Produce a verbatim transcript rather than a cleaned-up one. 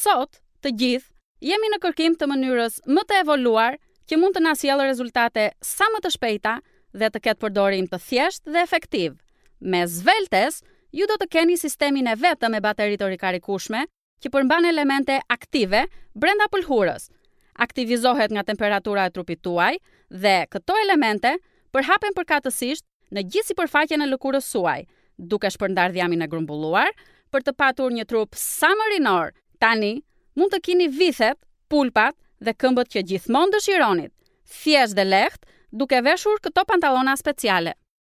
Sot, të gjithë, jemi në kërkim të mënyrës më të evoluar që mund të na sjellë rezultate sa më të shpejta dhe të ketë përdorim të thjeshtë dhe efektiv. Me Sveltes, ju do të keni sistemin e vetëm me bateri të rikarikueshme që përmban elemente aktive brenda pëlhurës. Aktivizohet nga temperatura e trupit tuaj dhe këto elemente përhapen përkatësisht në gjithë sipërfaqen e lëkurës suaj, duke shpërndarë dhjamin e grumbulluar për të patur një trup sa më rinor. Tani mund të keni vithet, pulpat dhe këmbët që gjithmonë dëshironit, thjesht dhe lehtë, duke veshur këto pantallona speciale.